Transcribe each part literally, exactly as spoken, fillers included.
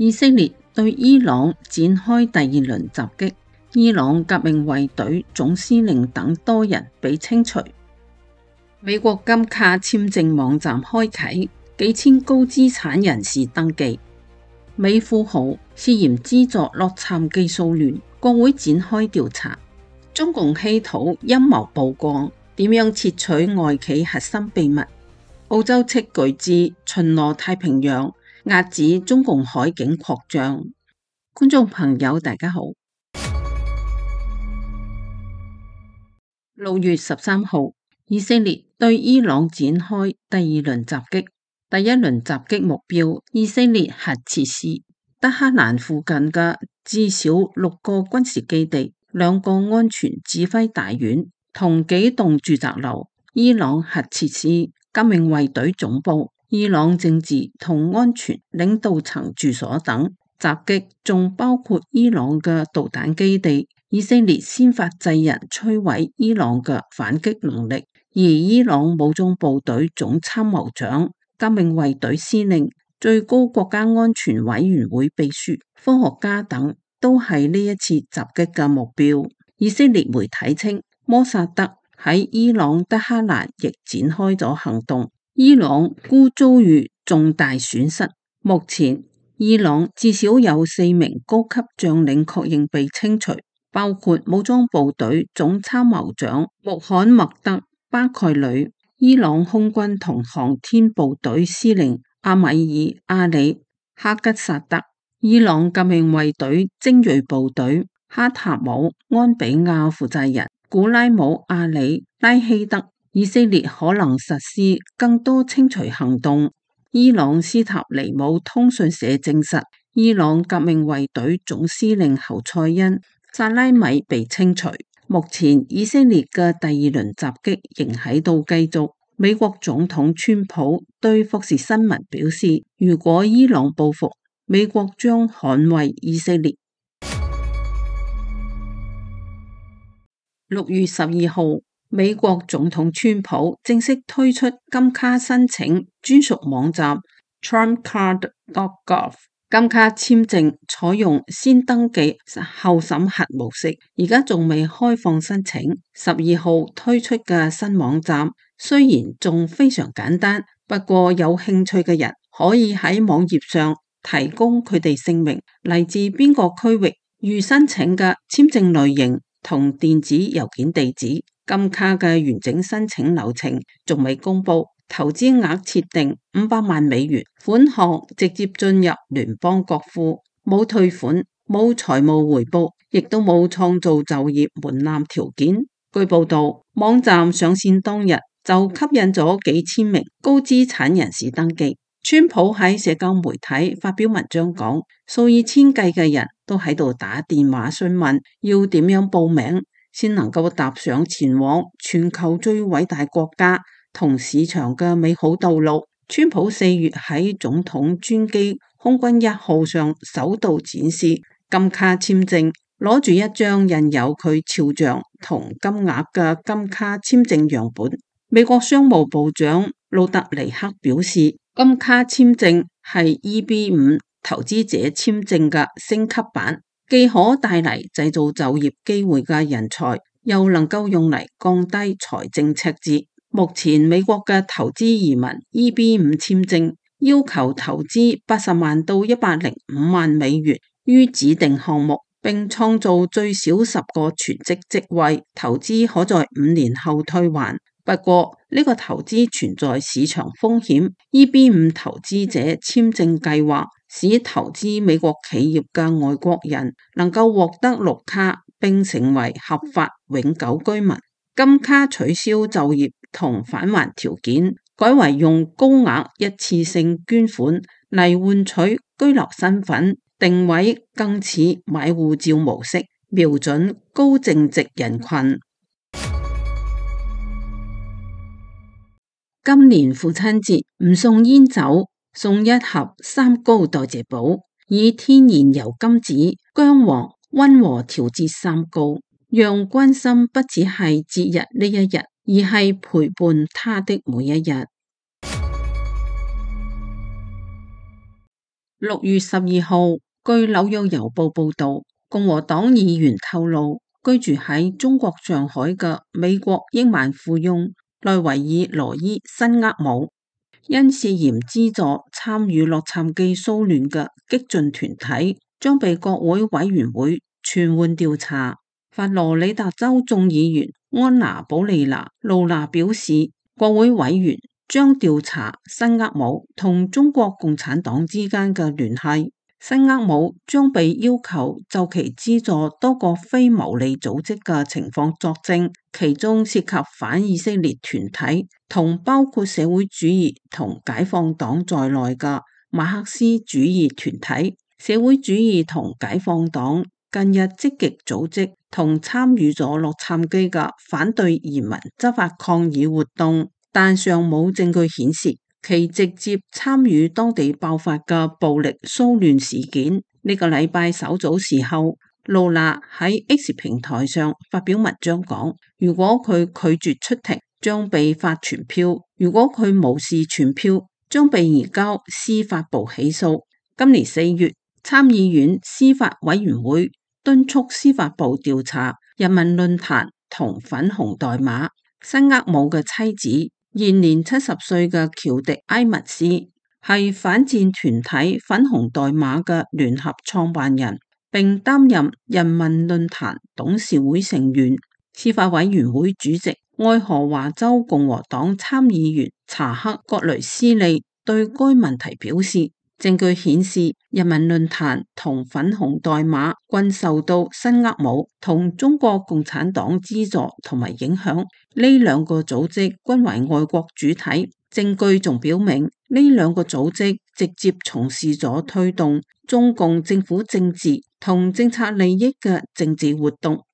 以色列對伊朗展開第二輪襲擊，伊朗革命衛隊總司令等多人被清除。美國金卡簽證網站開啟，幾千高資產人士登記。美富豪涉嫌資助洛杉磯騷亂，國會展開調查。中共稀土陰謀曝光，點樣竊取外企核心秘密？澳洲斥巨資巡邏太平洋，遏止中共海警擴張。觀眾朋友大家好，六月十三號，以色列對伊朗展開第二輪襲擊。第一輪襲擊目標以色列核設施，德黑蘭附近嘅至少六個軍事基地、兩個安全指揮大院同幾棟住宅樓、伊朗核設施、革命衛隊總部、伊朗政治同安全領導層住所等。襲擊仲包括伊朗嘅導彈基地。以色列先發制人摧毀伊朗嘅反擊能力，而伊朗武裝部隊總參謀長、革命衛隊司令、最高國家安全委員會秘書、科學家等都係呢一次襲擊嘅目標。以色列媒體稱，摩薩德喺伊朗德黑蘭亦展開咗行動，伊朗估遭遇重大損失。目前伊朗至少有四名高級將領確認被清除，包括武裝部隊總參謀長穆罕默德巴蓋里、伊朗空軍同航天部隊司令阿米爾阿里哈吉薩德、伊朗革命衛隊精銳部隊哈塔姆安比亞負責人古拉姆阿里拉希德。以色列可能實施更多清除行動。伊朗斯塔尼姆通訊社證實，伊朗革命衛隊總司令侯賽因薩拉米被清除。目前以色列嘅第二輪襲擊仍喺度繼續。美國總統川普對福斯新聞表示，如果伊朗報復，美國將捍衛以色列。六月十二號，美國總統川普正式推出金卡申請專屬網站 Trump Card dot gov。金卡簽證採用先登記後審核模式，而家仲未開放申請。十二號推出嘅新網站雖然仲非常簡單，不過有興趣嘅人可以喺網頁上提供佢哋姓名、嚟自邊個區域、預申請嘅簽證類型同電子郵件地址。金卡嘅完整申請流程仲未公布。投資額設定五百萬美元，款項直接進入聯邦國庫，冇退款，冇財務回報，亦都冇創造就業門檻條件。據報道，網站上線當日就吸引咗幾千名高資產人士登記。川普喺社交媒體發表文章講，數以千計嘅人都喺度打電話詢問要點樣報名，先能夠踏上前往全球最偉大國家同市場嘅美好道路。川普四月喺總統專機空軍一號上首度展示金卡簽證，攞住一張印有佢肖像同金額嘅金卡簽證樣本。美國商務部長魯特尼克表示，金卡簽證係 E B 五 投資者簽證嘅升級版，既可帶嚟製造就業機會嘅人才，又能夠用嚟降低財政赤字。目前美國嘅投資移民 E B 五 簽證要求投資八十萬到一百零五萬美元於指定項目，並創造最少十個全職職位，投資可在五年後退還。不過呢、這個投資存在市場風險。E B 五 投資者簽證計劃使投資美國企業嘅外國人能夠獲得綠卡並成為合法永久居民。金卡取消就業同返還條件，改為用高額一次性捐款嚟換取居留身份，定位更似買護照模式，瞄準高淨值人群。今年父親節唔送煙酒，送一盒三高代謝寶，以天然油甘子、薑黃溫和調節三高，讓關心不只係節日呢一日，而係陪伴他的每一日。六月十二號，據紐約郵報報道，共和黨議員透露，居住喺中國上海嘅美國億萬富翁內維爾羅伊辛厄姆，因涉嫌資助參與洛杉磯騷亂嘅激進團體，將被國會委員會傳喚調查。佛羅里達州眾議員安娜保利娜露娜表示，國會委員將調查辛厄姆同中國共產黨之間嘅聯繫。辛厄姆將被要求就其資助多個非牟利組織嘅情況作證，其中涉及反以色列團體同包括社會主義同解放黨在內嘅馬克思主義團體。社會主義同解放黨近日積極組織同參與咗洛杉磯嘅反對移民執法抗議活動，但尚冇證據顯示其直接參與當地爆發嘅暴力騷亂事件。呢個禮拜稍早時候，露娜喺 X 平台上發表文章講，如果佢拒絕出庭，將被發傳票；如果佢無視傳票，將被移交司法部起訴。今年四月，參議院司法委員會敦促司法部調查人民論壇同粉紅代碼。辛厄姆嘅妻子，現年七十歲嘅喬迪埃密斯，係反戰團體粉紅代碼嘅聯合創辦人，並擔任人民論壇董事會成員。司法委員會主席愛荷華州共和黨參議員查克葛雷斯利對該問題表示，證據顯示人民論壇同粉紅代碼均受到辛厄姆同中國共產黨資助同埋影響，呢兩個組織均為外國主體。證據仲表明呢兩個組織直接從事咗推動中共政府政治同政策利益嘅政治活動。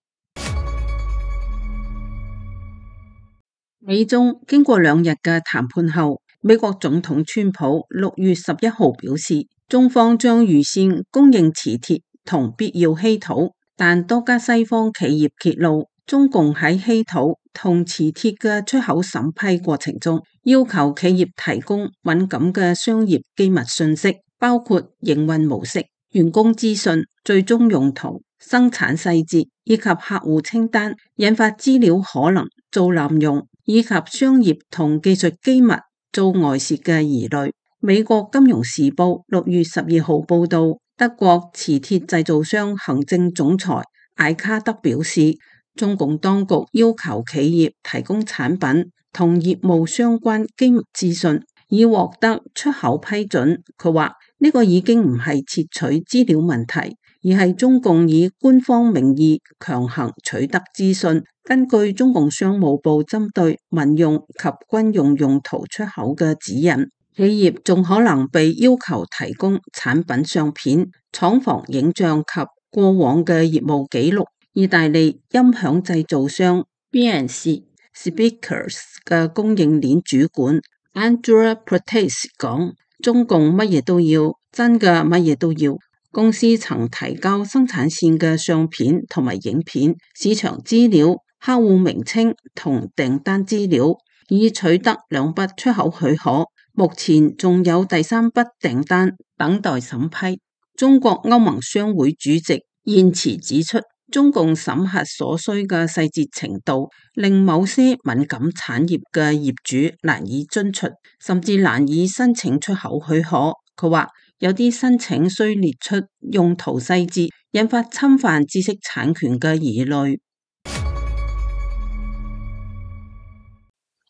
美中經過兩日嘅談判後，美國總統川普六月十一號表示，中方將預先供應磁鐵同必要稀土，但多家西方企業揭露，中共喺稀土同磁鐵嘅出口審批過程中，要求企業提供敏感嘅商業機密信息，包括營運模式、員工資訊、最終用途、生產細節以及客戶清單，引發資料可能遭濫用，以及商業同技術機密遭外泄嘅疑慮。美國金融時報六月十二號報道，德國磁鐵製造商行政總裁艾卡德表示，中共當局要求企業提供產品同業務相關機密資訊，以獲得出口批准。佢話呢個已經唔係竊取資料問題，而係中共以官方名義強行取得資訊。根據中共商務部針對民用及軍用用途出口嘅指引，企業仲可能被要求提供產品相片、廠房影像及過往嘅業務記錄。意大利音響製造商 B and C Speakers 嘅供應鏈主管 Andrea Protes 講，中共乜嘢都要，真嘅乜嘢都要。公司曾提交生產線嘅相片同埋影片、市場資料、客戶名稱同訂單資料，以取得兩筆出口許可。目前仲有第三筆訂單等待審批。中國歐盟商會主席燕慈指出，中共審核所需嘅細節程度，令某些敏感產業嘅業主難以遵循，甚至難以申請出口許可。佢話有啲申請需列出用途細節，引發侵犯知識產權嘅疑慮。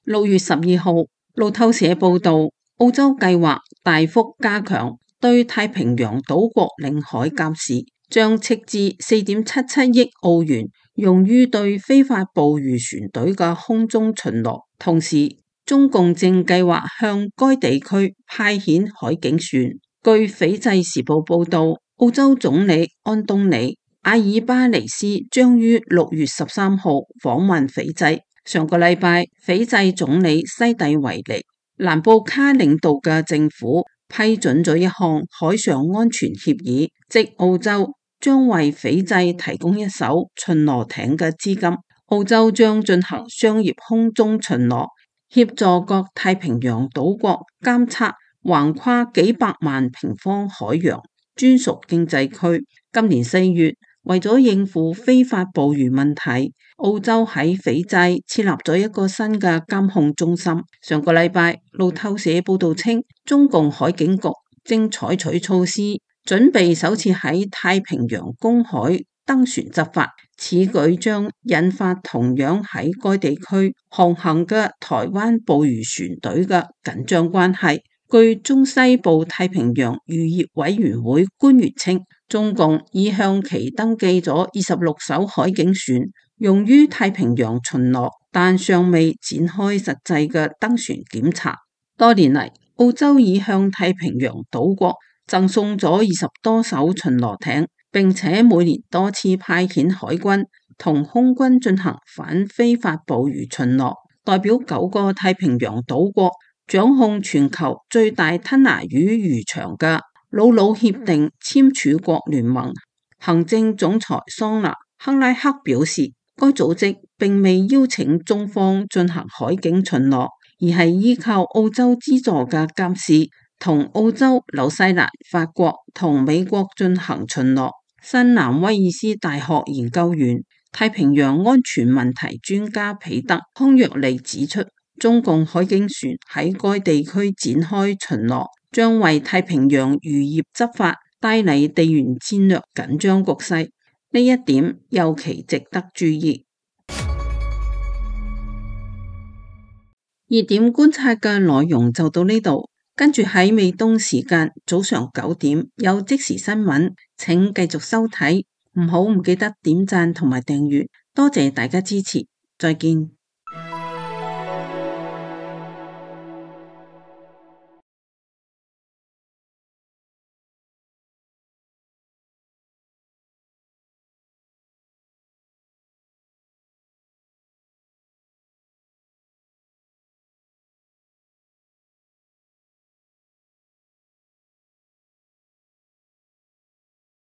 六月十二號，路透社報道，澳洲計劃大幅加強對太平洋島國領海監視，將斥資四點七七億澳元用於對非法捕魚船隊嘅空中巡邏。同時，中共正計劃向該地區派遣海警船。據斐濟時報報道，澳洲總理安東尼阿爾巴尼斯將於六月十三號訪問斐濟。上個禮拜，斐濟總理西蒂維尼蘭布卡領導嘅政府批准咗一項海上安全協議，即澳洲將為斐濟提供一艘巡邏艇嘅資金。澳洲將進行商業空中巡邏，協助各太平洋島國監測橫跨幾百萬平方海洋，專屬經濟區。今年四月，為咗應付非法捕魚問題，澳洲喺斐濟設立咗一個新嘅監控中心。上個禮拜，路透社報道稱，中共海警局正採取措施，準備首次喺太平洋公海登船執法。此舉將引發同樣喺該地區航行嘅台灣捕魚船隊嘅緊張關係。據中西部太平洋漁業委員會官員稱，中共已向其登記咗二十六艘海警船，用於太平洋巡邏，但尚未展開實際嘅登船檢查。多年嚟，澳洲已向太平洋島國贈送咗二十多艘巡邏艇，並且每年多次派遣海軍同空軍進行反非法捕魚巡邏。代表九個太平洋島國掌控全球最大吞拿魚漁場嘅魯魯協定簽署國聯盟行政總裁桑拿克拉克表示，該組織並未邀請中方進行海警巡邏，而係依靠澳洲資助嘅監視，同澳洲、紐西蘭、法國同美國進行巡邏。新南威爾斯大學研究員、太平洋安全問題專家彼得康若利指出，中共海警船喺該地區展開巡邏，將為太平洋漁業執法帶嚟地緣戰略緊張局勢，呢一點尤其值得注意。熱點觀察嘅內容就到呢度，跟住喺美東時間早上九點有即時新聞，請繼續收睇，唔好唔記得點讚同埋訂閱，多謝大家支持，再見。